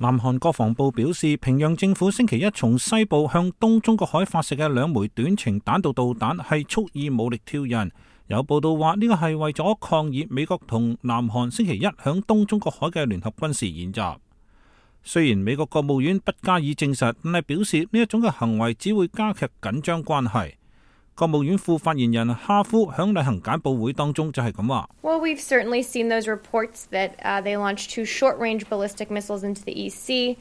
南韓國防部表示，平壤政府星期一從西部向東中國海發射嘅2枚短程彈道導彈係蓄意武力挑釁。有報道話呢個係為咗抗議美國同南韓星期一響東中國海嘅聯合軍事演習。雖然美國國務院不加以證實，但係表示呢一種嘅行為只會加劇緊張關係。國務院副發言人哈夫響例行簡報會當中就係咁話。Well, we've certainly seen those reports that they launched 2 short-range ballistic missiles into the East Sea.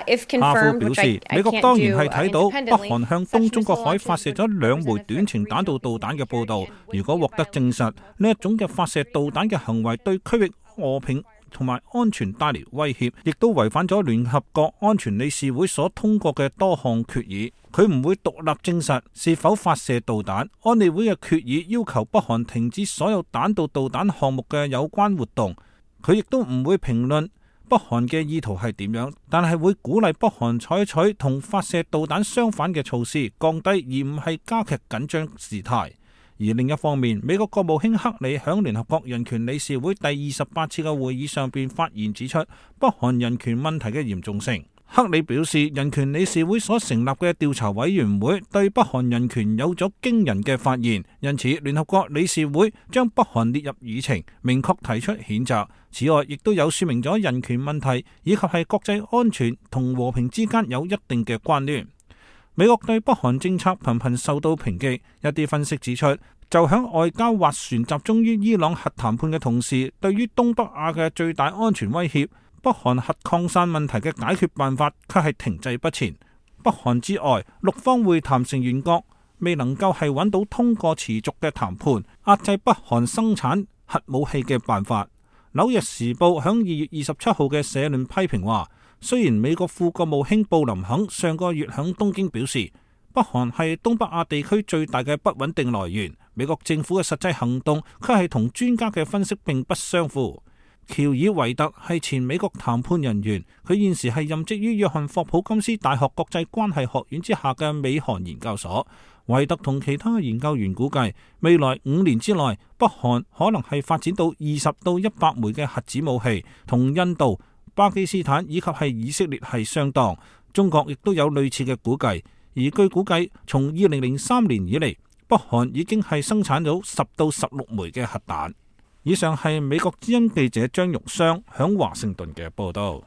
If confirmed, 哈夫表示，美國當然係睇到北韓向東中國海發射咗2枚短程彈道導彈嘅報導。如果獲得證實，呢一種嘅發射導彈嘅行為對區域和平同埋安全帶嚟威脅，亦都違反咗聯合國安全理事會所通過嘅多項決議。佢唔會獨立證實是否發射導彈。安理會嘅決議要求北韓停止所有彈道導彈項目嘅有關活動。佢亦都唔會評論北韓嘅意圖係點樣，但係會鼓勵北韓採取同發射導彈相反嘅措施，降低而唔係加劇緊張事態。而另一方面，美國國務卿克里響聯合國人權理事會第28次嘅會議上邊發言指出北韓人權問題嘅嚴重性。克里表示，人權理事會所成立嘅調查委員會對北韓人權有咗驚人嘅發現，因此聯合國理事會將北韓列入議程，明確提出譴責。此外，亦都有說明咗人權問題以及係國際安全同和平之間有一定嘅關聯。美國對北韓政策頻頻受到抨擊，一啲分析指出，就響外交斡旋集中於伊朗核談判嘅同時，對於東北亞嘅最大安全威脅，北韓核擴散問題嘅解決辦法卻係停滯不前。北韓之外，六方會談成員國未能夠係揾到通過持續嘅談判壓制北韓生產核武器嘅辦法。紐約時報響2月27號嘅社論批評話，雖然美國副國務卿布林肯上個月響東京表示，北韓係東北亞地區最大嘅不穩定來源，美國政府嘅實際行動卻係同專家嘅分析並不相符。喬爾維特係前美國談判人員，佢現時係任職於約翰霍普金斯大學國際關係學院之下嘅美韓研究所。維特同其他研究員估計，未來5年之內，北韓可能係發展到20到100枚嘅核子武器，同印度、巴基斯坦以及係以色列係相當。中國亦都有類似嘅估計，而據估計，從2003年以嚟，北韓已經係生產咗10到16枚嘅核彈。以上係美國之音記者張玉雙響華盛頓嘅報道。